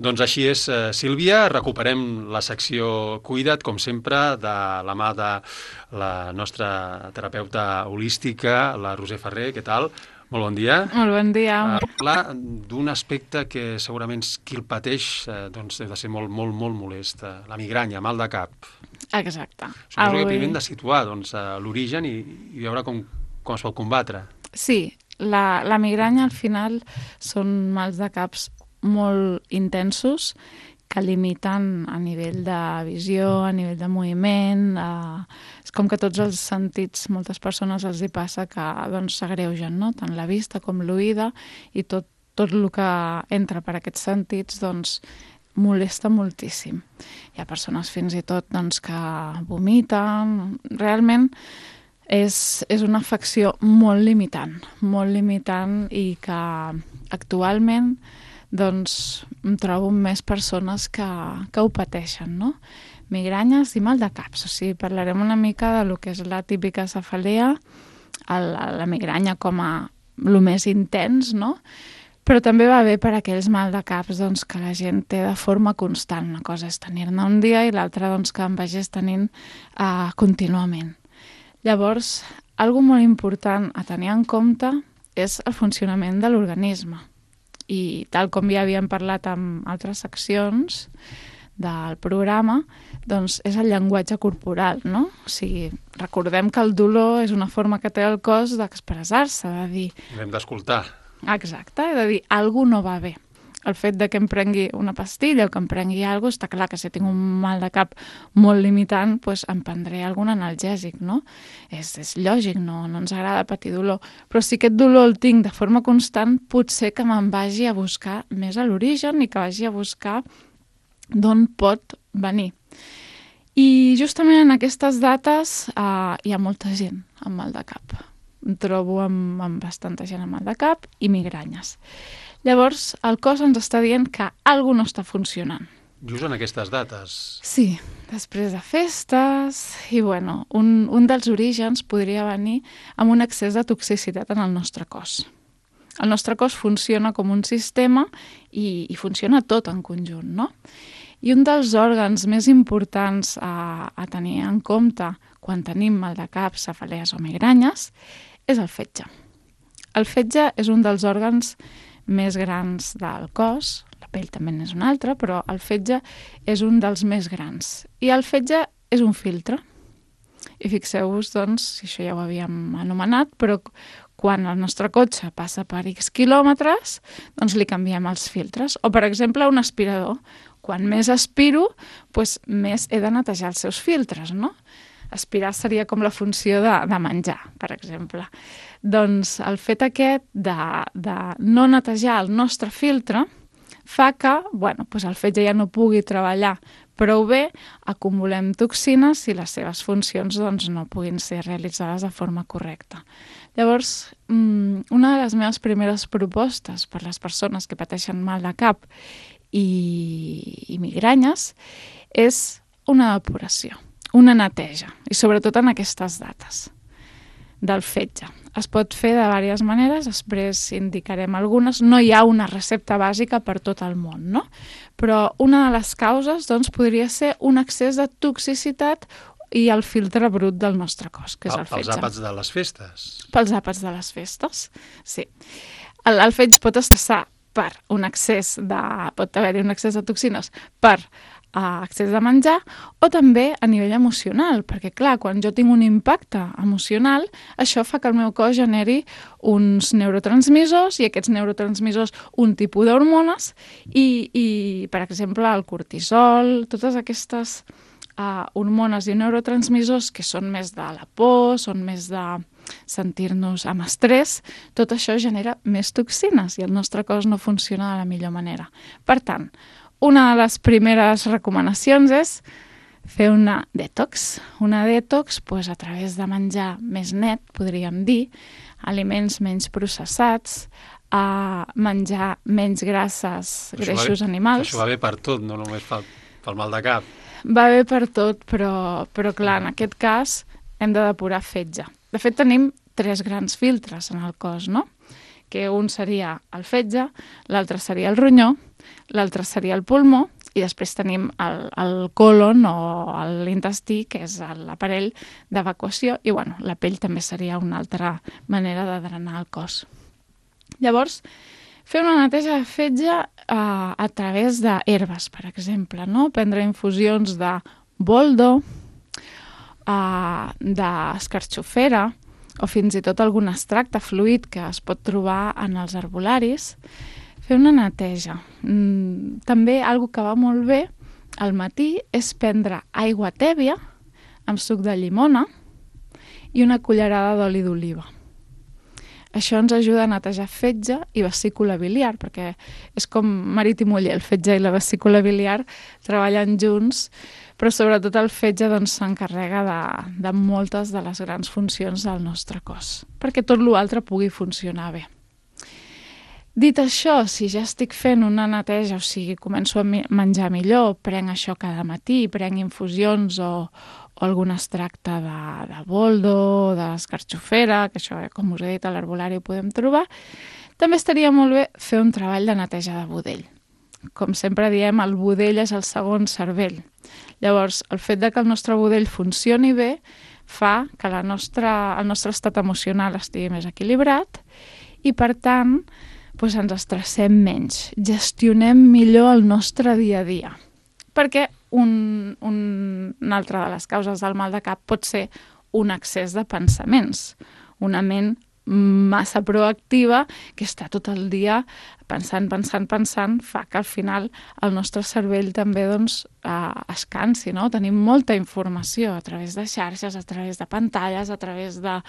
Doncs així és, Sílvia. Recuperem la secció Cuida't, com sempre, de la mà de la nostra terapeuta holística, la Roser Ferrer. Què tal? Molt bon dia. Molt bon dia. Parlar d'un aspecte que segurament qui el pateix doncs, ha de ser molt, molt, molt molest. La migranya, mal de cap. Exacte. Suposo que primer hem de situar doncs, l'origen i veure com es pot combatre. Sí, la migranya al final són mals de caps molt intensos que limiten a nivell de visió, a nivell de moviment. És com que tots els sentits, moltes persones els hi passa que s'agreugen, no? Tant la vista com l'oïda, i tot el que entra per aquests sentits molesta moltíssim. Hi ha persones fins i tot que vomiten. Realment és una afecció molt limitant i que actualment em trobo amb més persones que ho pateixen, no? Migranyes i mal de caps. O sigui, parlarem una mica de lo que és la típica cefalea, la migranya com a lo més intens, no? Però també va bé per aquells mal de caps que la gent té de forma constant. Una cosa és tenir-ne un dia i l'altra que en vagis tenint contínuament. Llavors, algo molt important a tenir en compte és el funcionament de l'organisme. I tal com ja havíem parlat en altres seccions del programa, és el llenguatge corporal, no? O sigui, recordem que el dolor és una forma que té el cos d'expressar-se, de dir... L'hem d'escoltar. Exacte, de dir, alguna no va bé. El fet de que em prengui una pastilla o que em prengui alguna cosa, està clar que si tinc un mal de cap molt limitant, em prendré algun analgèsic, no? És lògic, no ens agrada patir dolor. Però si aquest dolor el tinc de forma constant, potser que me'n vagi a buscar més a l'origen i que vagi a buscar d'on pot venir. I justament en aquestes dates hi ha molta gent amb mal de cap. Em trobo amb bastanta gent amb mal de cap i migranyes. Llavors, el cos ens està dient que alguna no està funcionant. Just en aquestes dates. Sí, després de festes... I, un dels orígens podria venir amb un excés de toxicitat en el nostre cos. El nostre cos funciona com un sistema i funciona tot en conjunt, no? I un dels òrgans més importants a tenir en compte quan tenim mal de cap, cefalees o migranyes és el fetge. El fetge és un dels òrgans més grans del cos, la pell també és un altre, però el fetge és un dels més grans. I el fetge és un filtre. I fixeu-vos, si això ja ho havíem anomenat, però quan el nostre cotxe passa per X quilòmetres, li canviem els filtres. O, per exemple, un aspirador. Quan més aspiro, més he de netejar els seus filtres, no? Aspirar seria com la funció de menjar, per exemple. Doncs el fet aquest de no netejar el nostre filtre fa que el fetge ja no pugui treballar prou bé, acumulem toxines i les seves funcions no puguin ser realitzades de forma correcta. Llavors, una de les meves primeres propostes per les persones que pateixen mal de cap i migranyes és una depuració, una neteja, i sobretot en aquestes dates del fetge. Es pot fer de diverses maneres, després indicarem algunes. No hi ha una recepta bàsica per tot el món, no? Però una de les causes podria ser un excés de toxicitat i el filtre brut del nostre cos, que és el fetge. Pels àpats de les festes. Pels àpats de les festes, sí. El fetge pot estressar per un excés pot haver-hi un excés de toxines per excés de menjar, o també a nivell emocional, perquè clar, quan jo tinc un impacte emocional, això fa que el meu cos generi uns neurotransmissors, i aquests neurotransmissors un tipus d'hormones, i per exemple el cortisol, totes aquestes hormones i neurotransmissors que són més de la por, són més de sentir-nos amb estrès, tot això genera més toxines i el nostre cos no funciona de la millor manera. Per tant, una de les primeres recomanacions és fer una detox. Una detox a través de menjar més net, podríem dir, aliments menys processats, menjar menys grasses, greixos animals. Això va bé per tot, no només pel mal de cap. Va bé per tot, però clar, en aquest cas hem de depurar fetge. De fet, tenim 3 grans filtres en el cos, no? Que un seria el fetge, l'altre seria el ronyó, l'altre seria el pulmó, i després tenim el colon o l'intestí, que és l'aparell d'evacuació, i bueno, la pell també seria una altra manera de drenar el cos. Llavors, fer una neteja de fetge a través d'herbes, per exemple, no? Prendre infusions de boldo, d'escarxofera, o fins i tot algun extracte fluid que es pot trobar en els herbolaris. Fer una neteja. També algo que va molt bé al matí és prendre aigua tèbia amb suc de llimona i una cullerada d'oli d'oliva. Això ens ajuda a netejar fetge i vesícula biliar, perquè és com marit i muller, el fetge i la vesícula biliar treballen junts, però sobretot el fetge s'encarrega de moltes de les grans funcions del nostre cos, perquè tot l'altre pugui funcionar bé. Dit això, si ja estic fent una neteja, o sigui, començo a menjar millor, prenc això cada matí, prenc infusions o algun extracte de boldo, d'escarxofera, que això, com us he dit, a l'herbolari ho podem trobar, també estaria molt bé fer un treball de neteja de budell. Com sempre diem, el budell és el segon cervell. Llavors, el fet de que el nostre budell funcioni bé fa que el nostre estat emocional estigui més equilibrat i, per tant, ens estressem menys, gestionem millor el nostre dia a dia. Perquè una altra de les causes del mal de cap pot ser un excés de pensaments, una ment massa proactiva que està tot el dia pensant, fa que al final el nostre cervell també es cansi, no? Tenim molta informació a través de xarxes, a través de pantalles, a través de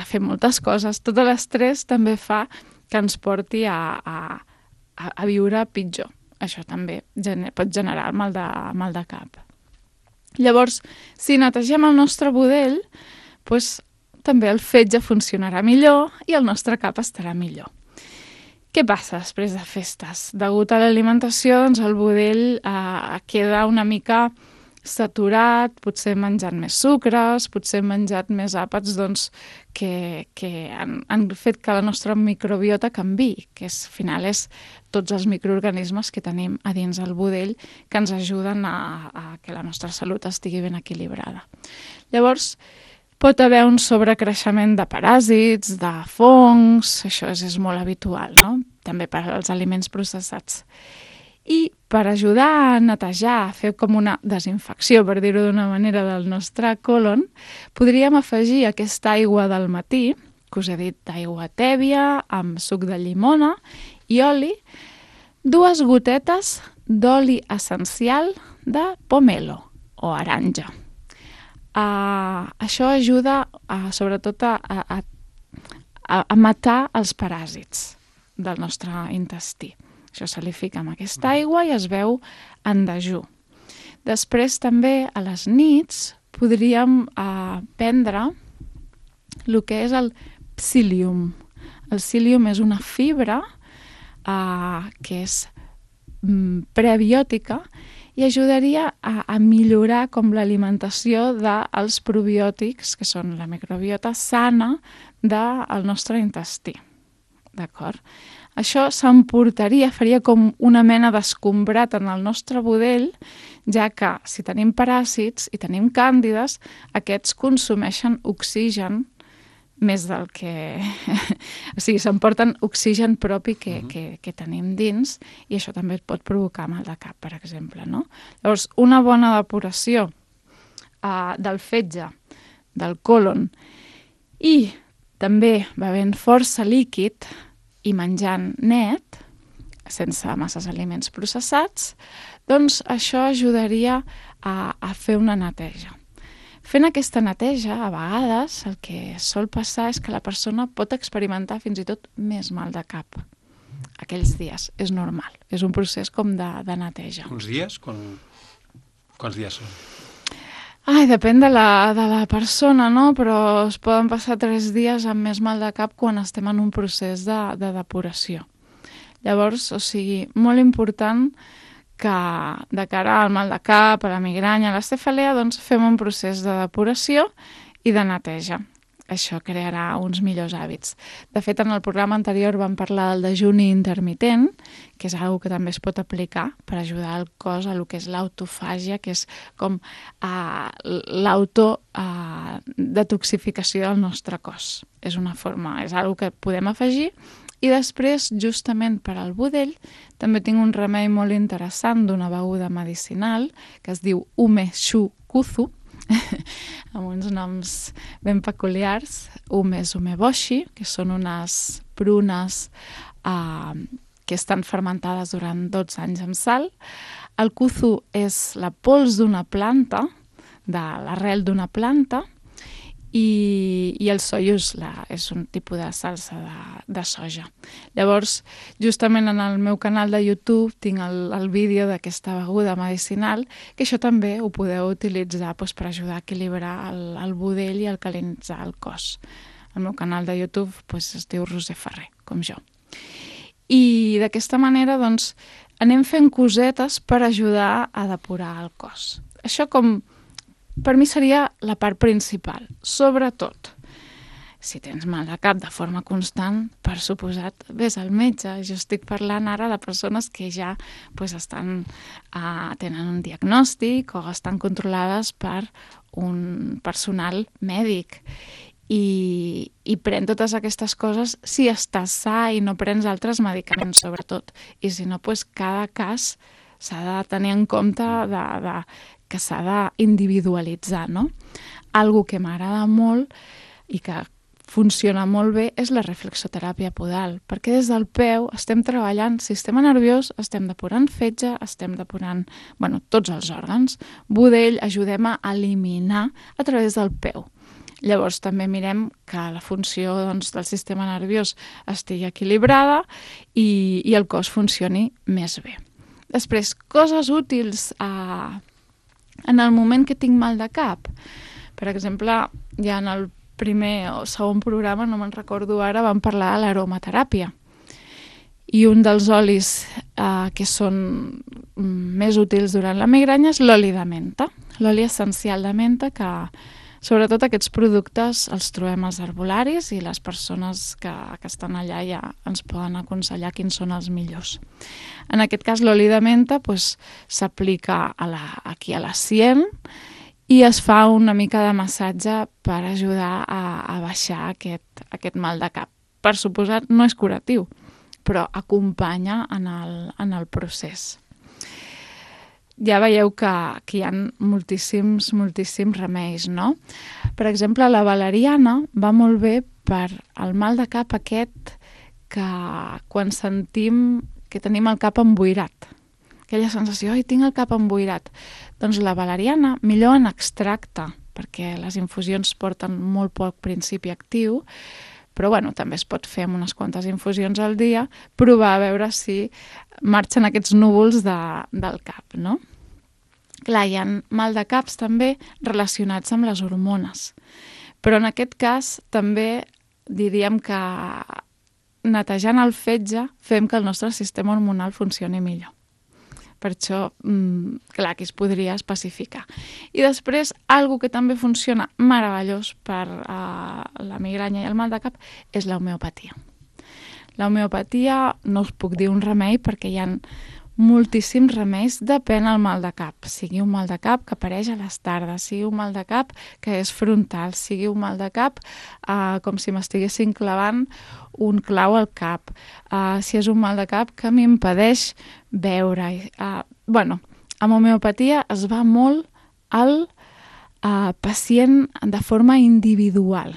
fer moltes coses. Tot l'estrès també fa que ens porti a viure pitjor. Això també pot generar el mal de cap. Llavors, si netegem el nostre budell, també el fetge funcionarà millor i el nostre cap estarà millor. Què passa després de festes? Degut a l'alimentació, el budell queda una mica saturat, potser menjant més sucres, potser menjat més àpats que han fet que la nostra microbiota canviï, que al final és tots els microorganismes que tenim a dins el budell que ens ajuden a que la nostra salut estigui ben equilibrada. Llavors, pot haver un sobrecreixement de paràsits, de fongs, això és molt habitual, no? També per als aliments processats. I per ajudar a netejar, a fer com una desinfecció, per dir-ho d'una manera, del nostre colon, podríem afegir aquesta aigua del matí, que us he dit d'aigua tèbia, amb suc de llimona i oli, 2 gotetes d'oli essencial de pomelo o aranja. Això ajuda sobretot a matar els paràsits del nostre intestí. Això se li fica amb aquesta aigua i es veu en dejú. Després també a les nits podríem prendre el que és el psyllium. El psyllium és una fibra que és prebiòtica i ajudaria a millorar com l'alimentació dels probiòtics, que són la microbiota sana del nostre intestí. D'acord? Això s'emportaria, faria com una mena d'escombrat en el nostre budell, ja que si tenim paràsits i tenim càndides, aquests consumeixen oxigen més del que... O sigui, s'emporten oxigen propi que tenim dins i això també pot provocar mal de cap, per exemple, no? Llavors, una bona depuració del fetge, del colon i també bevent força líquid i menjant net, sense masses aliments processats, doncs això ajudaria a fer una neteja. Fent aquesta neteja, a vegades, el que sol passar és que la persona pot experimentar fins i tot més mal de cap aquells dies. És normal, és un procés com de neteja. Uns dies? Quants dies són? Depèn de la persona, no? Però es poden passar 3 dies amb més mal de cap quan estem en un procés de depuració. Llavors, o sigui, molt important que de cara al mal de cap, a la migranya, a la cefalea, doncs fem un procés de depuració i de neteja. això crearà uns millors hàbits. De fet, en el programa anterior vam parlar del dejuni intermitent, que és una que també es pot aplicar per ajudar el cos a lo que és l'autofàgia, que és com l'autodetoxificació del nostre cos. És una forma, és una que podem afegir. I després, justament per al budell, també tinc un remei molt interessant d'una beguda medicinal que es diu Ume Shu Kuzu, amb uns noms ben peculiars. Ume és umeboshi, que són unes prunes que estan fermentades durant 12 anys amb sal. El kuzu és la pols d'una planta, de l'arrel d'una planta, i el soio és un tipus de salsa de soja. Llavors, justament en el meu canal de YouTube tinc el vídeo d'aquesta beguda medicinal, que això també ho podeu utilitzar per ajudar a equilibrar el budell i alcalinitzar el cos. El meu canal de YouTube es diu Roser Ferrer, com jo. I d'aquesta manera doncs, anem fent cosetes per ajudar a depurar el cos. Això per mi seria la part principal. Sobretot, si tens mal de cap de forma constant, per suposat, vés al metge. Jo estic parlant ara de persones que ja tenen un diagnòstic o estan controlades per un personal mèdic. I pren totes aquestes coses si estàs sa i no prens altres medicaments, sobretot. I si no, cada cas s'ha de tenir en compte que s'ha d'individualitzar, no? Algo que m'agrada molt i que funciona molt bé és la reflexoteràpia podal, perquè des del peu estem treballant sistema nerviós, estem depurant fetge, estem depurant tots els òrgans. Budell ajudem a eliminar a través del peu. Llavors també mirem que la funció del sistema nerviós estigui equilibrada i el cos funcioni més bé. Després, coses útils en el moment que tinc mal de cap. Per exemple, ja en el primer o segon programa, no me'n recordo ara, vam parlar de l'aromateràpia. I un dels olis que són més útils durant la migranya és l'oli de menta. L'oli essencial de menta, que sobretot aquests productes els trobem als herbolaris i les persones que estan allà ja ens poden aconsellar quins són els millors. En aquest cas, l'oli de menta s'aplica aquí a la sien i es fa una mica de massatge per ajudar a baixar aquest mal de cap. Per suposat, no és curatiu, però acompanya en el procés. Ja veieu que hi ha moltíssims remeis, no? Per exemple, la valeriana va molt bé per al mal de cap aquest que quan sentim que tenim el cap emboirat. Aquella sensació, tinc el cap emboirat. Doncs la valeriana, millor en extracte, perquè les infusions porten molt poc principi actiu, però també es pot fer amb unes quantes infusions al dia, provar a veure si marxen aquests núvols del cap, no? Clar, hi ha mal de caps també relacionats amb les hormones, però en aquest cas també diríem que netejant el fetge fem que el nostre sistema hormonal funcioni millor. Per això, clar, aquí es podria especificar. I després, algo que també funciona meravellós per la migranya i el mal de cap és l'homeopatia. L'homeopatia no us puc dir un remei perquè hi ha moltíssims remeis, depèn del mal de cap. Sigui un mal de cap que apareix a les tardes, sigui un mal de cap que és frontal, sigui un mal de cap com si m'estiguessin clavant un clau al cap, si és un mal de cap que m'impedeix veure. Amb homeopatia es va molt al pacient de forma individual.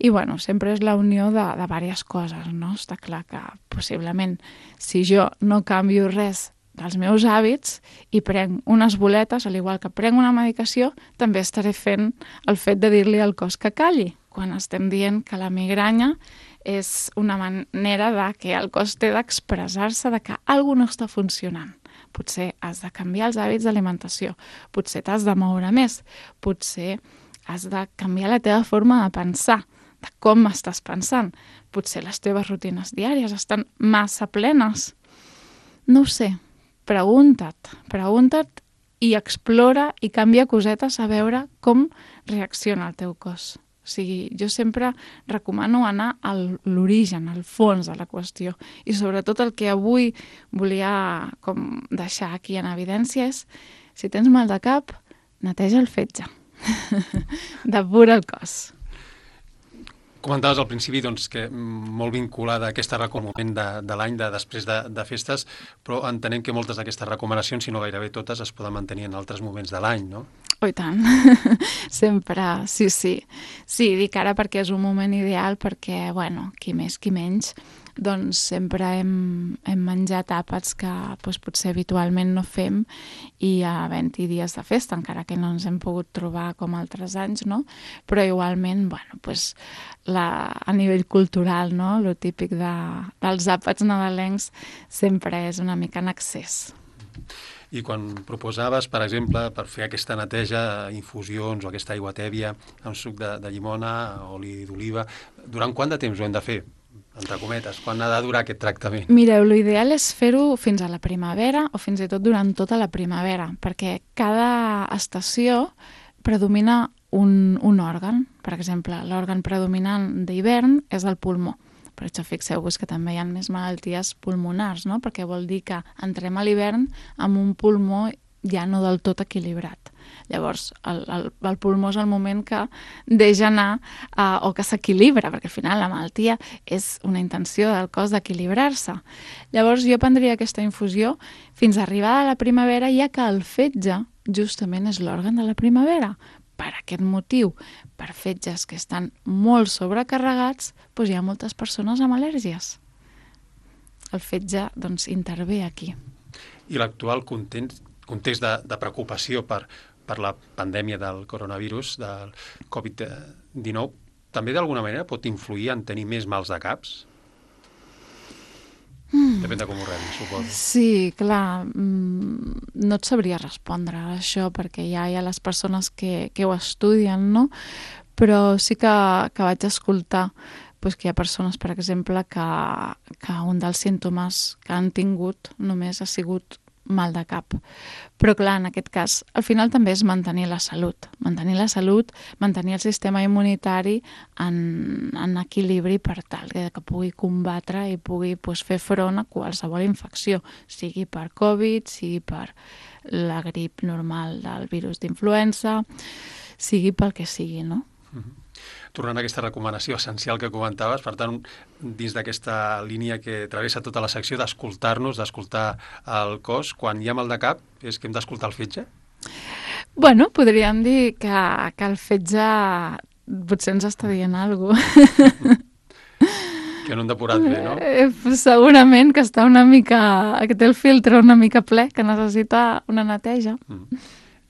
I sempre és la unió de diverses coses, no? Està clar que possiblement si jo no canvio res dels meus hàbits i prenc unes boletes, al igual que prenc una medicació, també estaré fent el fet de dir-li al cos que calli, quan estem dient que la migranya és una manera que el cos té d'expressar-se de que alguna no està funcionant. Potser has de canviar els hàbits d'alimentació, potser t'has de moure més, potser has de canviar la teva forma de pensar, de com estàs pensant. Potser les teves rutines diàries estan massa plenes. No ho sé, pregunta't i explora i canvia cosetes a veure com reacciona el teu cos. O sigui, jo sempre recomano anar a l'origen, al fons de la qüestió. I sobretot el que avui volia com deixar aquí en evidència és, si tens mal de cap, neteja el fetge. Depura el cos. Comentaves al principi doncs, que molt vinculada a aquesta moment de l'any, després de festes, però entenem que moltes d'aquestes recomanacions, si no gairebé totes, es poden mantenir en altres moments de l'any, no? Oh, i tant. Sempre, sí. Sí, dic ara perquè és un moment ideal, perquè, bueno, qui més, qui menys, doncs sempre hem menjat àpats que potser habitualment no fem i havent-hi dies de festa, encara que no ens hem pogut trobar com altres anys, no? Però igualment, bueno, a nivell cultural, no? Lo típic dels àpats nadalencs sempre és una mica en excés. I quan proposaves, per exemple, per fer aquesta neteja, infusions o aquesta aigua tèbia amb suc de llimona, oli d'oliva, durant quant de temps ho hem de fer? Entre cometes, quan ha de durar aquest tractament? Mireu, l'ideal és fer-ho fins a la primavera o fins i tot durant tota la primavera, perquè cada estació predomina un òrgan. Per exemple, l'òrgan predominant d'hivern és el pulmó. Per això fixeu-vos que també hi ha més malalties pulmonars, no? Perquè vol dir que entrem a l'hivern amb un pulmó ja no del tot equilibrat. Llavors, el pulmó és el moment que deixa anar o que s'equilibra, perquè al final la malaltia és una intenció del cos d'equilibrar-se. Llavors, jo prendria aquesta infusió fins a arribar a la primavera, ja que el fetge justament és l'òrgan de la primavera. Per aquest motiu, per fetges que estan molt sobrecarregats, doncs hi ha moltes persones amb al·lèrgies. El fetge doncs, intervé aquí. I l'actual context de preocupació per la pandèmia del coronavirus, del Covid-19, també d'alguna manera pot influir en tenir més mals de caps? Depèn de com ho rebis, suposo. Sí, clar, no et sabria respondre a això perquè ja hi ha les persones que ho estudien, no? Però sí que vaig escoltar que hi ha persones, per exemple, que un dels símptomes que han tingut només ha sigut mal de cap. Però clar, en aquest cas, al final també és mantenir la salut. Mantenir la salut, mantenir el sistema immunitari en equilibri per tal que pugui combatre i pugui fer front a qualsevol infecció, sigui per Covid, sigui per la grip normal del virus d'influenza, sigui pel que sigui, no? Tornant a aquesta recomanació essencial que comentaves, per tant, dins d'aquesta línia que travessa tota la secció d'escoltar-nos, d'escoltar el cos, quan hi ha mal de cap, és que hem d'escoltar el fetge? Bueno, podríem dir que el fetge potser ens està dient alguna cosa. Que no hem depurat bé, no? Segurament que està que té el filtre una mica ple, que necessita una neteja.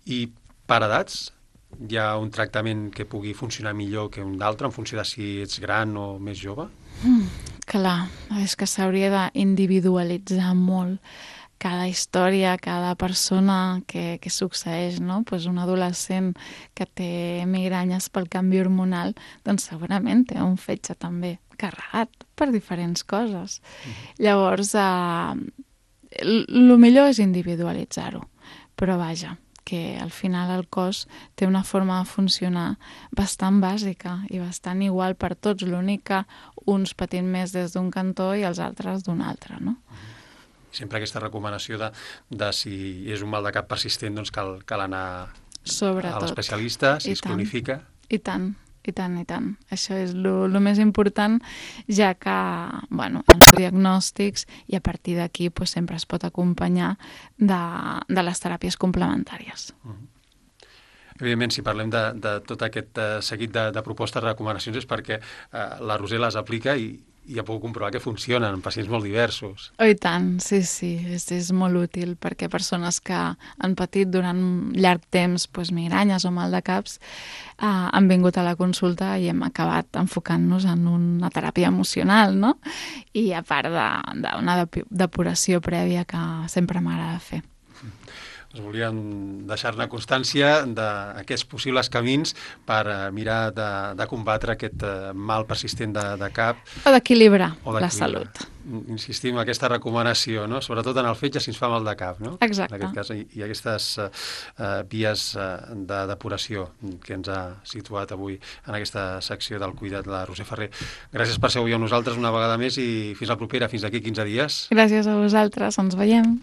I per edats? Hi ha un tractament que pugui funcionar millor que un d'altre en funció de si ets gran o més jove? Clar, és que s'hauria d'individualitzar molt cada història, cada persona que succeeix, no? Un adolescent que té migranyes pel canvi hormonal, doncs segurament té un fetge també carregat per diferents coses. Llavors, el millor és individualitzar-ho, però vaja, que al final el cos té una forma de funcionar bastant bàsica i bastant igual per tots, l'únic que uns patint més des d'un cantó i els altres d'un altre, no? Sempre aquesta recomanació de si és un mal de cap persistent, doncs cal anar a l'especialista, si es cronifica. I tant. Això és el més important, ja que, bueno, els diagnòstics i a partir d'aquí sempre es pot acompanyar de les teràpies complementàries. Evidentment, si parlem de tot aquest seguit de propostes, recomanacions, és perquè la Roser les aplica i ja puc comprovar que funcionen en pacients molt diversos. Oh, i tant, sí, és molt útil perquè persones que han patit durant llarg temps migranyes o mal de caps han vingut a la consulta i hem acabat enfocant-nos en una teràpia emocional, no? I a part d'una depuració prèvia que sempre m'agrada fer. Us volíem deixar-ne constància d'aquests possibles camins per mirar de combatre aquest mal persistent de cap. O d'equilibrar la salut. Insistim en aquesta recomanació, no? Sobretot en el fetge si ens fa mal de cap, no? Exacte. En aquest cas, i aquestes vies de depuració que ens ha situat avui en aquesta secció del Cuida't, la Roser Ferrer. Gràcies per ser avui amb nosaltres una vegada més i fins la propera, fins d'aquí 15 dies. Gràcies a vosaltres, ens veiem.